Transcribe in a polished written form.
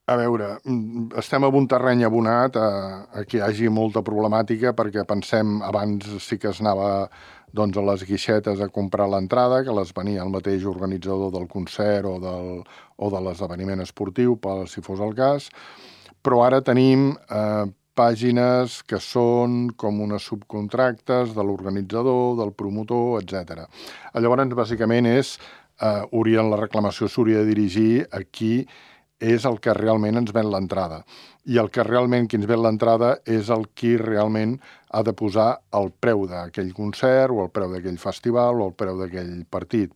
A veure, estem en un terreny abonat a que hi hagi molta problemàtica perquè pensem, abans sí que es anava doncs, a les guixetes a comprar l'entrada, que les venia el mateix organitzador del concert o de l'esdeveniment esportiu, si fos el cas, però ara tenim pàgines que són com unes subcontractes de l'organitzador, del promotor, etc. Llavors, bàsicament la reclamació s'hauria de dirigir a qui és el que realment ens ven l'entrada. I el que realment qui ens ven l'entrada és el qui realment ha de posar el preu d'aquell concert o el preu d'aquell festival o el preu d'aquell partit.